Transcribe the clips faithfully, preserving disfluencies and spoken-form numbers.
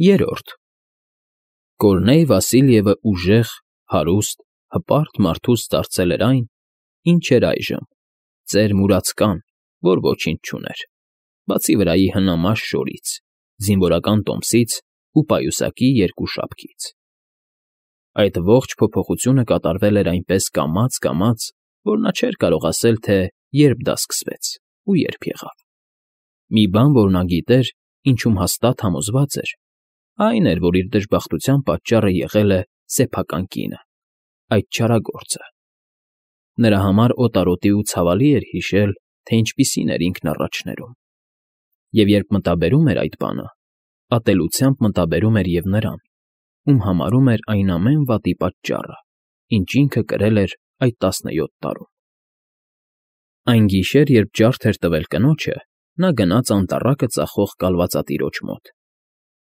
Երրորդ Կորնեյ Վասիլյևը ուժեղ, հարուստ, հպարտ մարդուց դարձել էր այն, ինչ էր այժմ, ծեր մուրացկան, որ ոչինչ չուներ, բացի վրայի հնամաշ շորից, զինվորական տոմսից ու պայուսակի երկու շապքից։ Այդ ողջ փոփոխությունը կատարվել էր այնպես կամաց֊կամաց, որ նա չէր կարող ասել, թե երբ դա սկսվեց ու երբ եղավ։ Մի բան, որ նա գիտեր, ինչում հաստատ համոզված էր, այն էր, որ իր դժբախտության պատճառը եղել է սեփական կինը, այդ չարագործը։ Նրա համար օտարոտի ու ցավալի էր հիշել, թե ինչպիսին էր ինքն առաջներում։ Եվ երբ մտաբերում էր այդ բանը, ատելությամբ մտաբերում էր և նրան, ում համարում էր այն ամեն վատի պատճառը, ինչ ինքը կրել էր այդ տասնյոթ տարում։ Այն գիշեր, երբ ջարդ էր տվել կնոջը, նա գնաց անտառակը ծախող կալվածատիրոջ մոտ։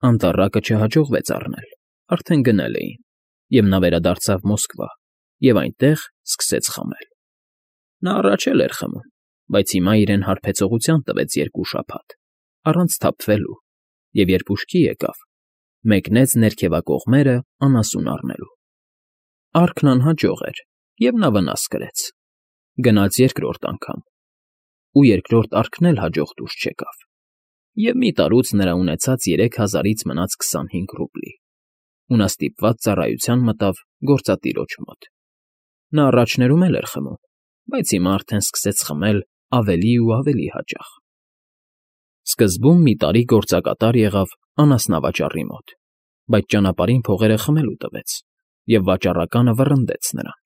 Անտառակը չհաջողվեց առնել, արդեն գնել էին, և նա վերադարձավ Մոսկվա և այնտեղ սկսեց խմել։ Նա առաջ էլ էր խմում, բայց հիմա իրեն հարբեցողության տվեց երկու շաբաթ, առանց թափվելու, և երբ ուշքի եկավ, մեկնեց ներքևակողմերը անասուն առնելու։ Առքն անհաջող էր, և նա վնաս կրեց։ Գնաց երկրորդ անգամ, ու երկրորդ առքն էլ հաջող դուրս չեկավ, և մի տարուց նրա ունեցած երեք հազարից մնաց քսանհինգ ռուբլի, ու նա ստիպված ծառայության մտավ գործատիրոջ մոտ։ Նա առաջներում էլ էր խմում, բայց հիմա արդեն սկսեց խմել ավելի ու ավելի հաճախ։ Սկզբում մի տարի գործակատար եղավ անասնավաճառի մոտ, բայց ճանապարհին փողերը խմելու տվեց, և վաճառականը վռնդեց նրան։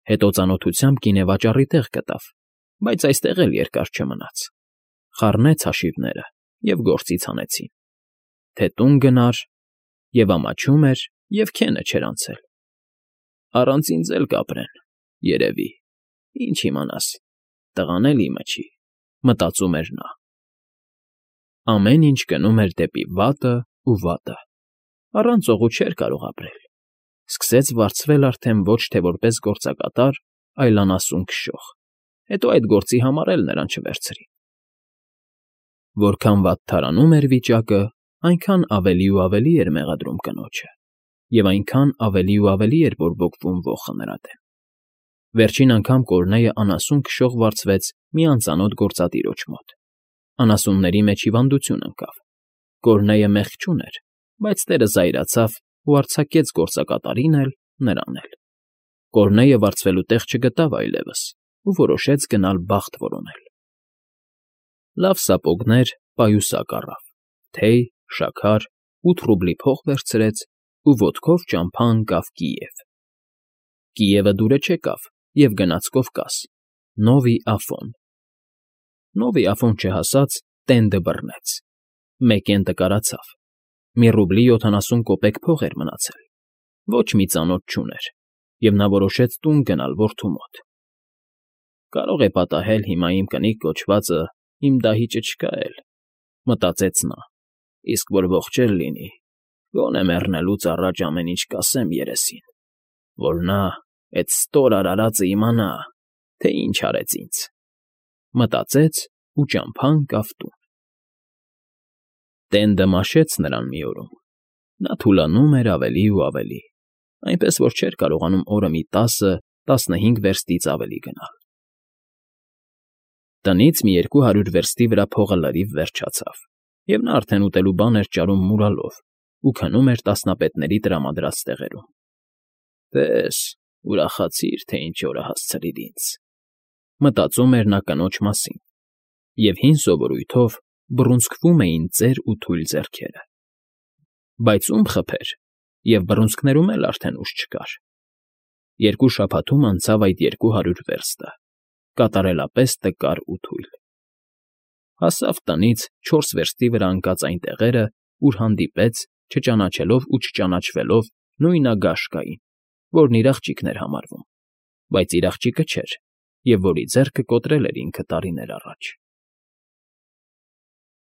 Հետո ծանոթությամբ գինեվաճառի տեղ գտավ, բայց այստեղ էլ երկար չմնաց։ Խառնեց հաշիվները և գործից հանեցին։ Թե տուն գնար, և ամաչում էր, և քենը չէր անցել։ «Առանց ինձ էլ կապրեն, երևի, ինչ իմանաս, տղան էլ իմը չի», մտածում էր նա։ Ամեն ինչ գնում էր դեպի վատը ու վատը, առանց օղու չէր կարող ապրել։ Սկսեց վարձվել արդեն ոչ թե որպես գործակատար, այլ անասուն քշող, հետո այդ գործի համար էլ նրան չվերցրին։ Որքան վատթարանում էր վիճակը, այնքան ավելի ու ավելի էր մեղադրում կնոջը, և այնքան ավելի ու ավելի էր բորբոքվում ոխը նրա դեմ։ Վերջին անգամ Կորնեյը անասուն քշող վարձվեց մի անծանոթ գործատիրոջ մոտ։ Անասունների մեջ հիվանդություն ընկավ։ Կորնեյը մեղք չուներ, բայց տերը զայրացավ ու արձակեց գործակատարին էլ, նրան էլ։ Կորնեյը վարձվելու տեղ չգտավ այլևս ու որոշեց գնալ բախտ որոնել։ Լավ սապոգներ, պայուսակ առավ, թեյ, շաքար, ութ ռուբլի փող վերցրեց ու ոտքով ճամփա ընկավ Կիև։ Կիևը դուրը չեկավ և գնաց Կովկաս, Նովի Աֆոն։ Նովի Աֆոն չհասած, տենդը բռնեց, մեկ էնտը կարացավ, մի ռուբլի յոթանասուն կոպեկ փող էր մնացել, ոչ մի ծանոթ չուներ, և նա որոշեց տուն գնալ որդու մոտ։ «Կարող է պատահել հիմա իմ կնիկ կոչվածը իմ դահիճը չկա էլ», մտածեց նա, «իսկ որ ողջ էլ լինի, գոնե մեռնելուց առաջ ամեն ինչ կասեմ երեսին, որ նա, էդ ստոր արարածը, իմանա, թե ինչ արեց ինձ», մտածեց ու ճամփա ընկավ տուն։ Տենդը մաշեց նրան մի օրում։ Նա թուլանում էր ավելի ու ավելի, այնպես որ չէր կարողանում օրը մի տասը֊տասնհինգ վերստից ավելի գնալ։ Տնից մի երկու հարյուր վերստի վրա փողը լրիվ վերջացավ, և նա արդեն ուտելու բան էր ճարում մուրալով ու քնում էր տասնապետների տրամադրած տեղերում։ «Տես, ուրախացիր, թե ինչ օր է հասցրիր ինձ», մտածում էր նա կնոջ մասին, և հին սովորույթով բռունցքվում էին ծեր ու թույլ ձեռքերը։ Բայց ում խփեր, և բռունցքներում էլ արդեն ուժ չկար։ Երկու շաբաթում անցավ այդ երկու հարյուր վերստը, կատարելապես տկար ու թույլ։ Հասավ տնից չորս վերստի վրա ընկած այն տեղերը, ուր հանդիպեց, չճանաչելով ու չճանաչվելով նույն Ագաշկային, որն իր աղջիկն էր համարվում, բայց իր աղջիկը չէր, և որի ձեռքը կոտրել էր ինքը տարիներ առաջ։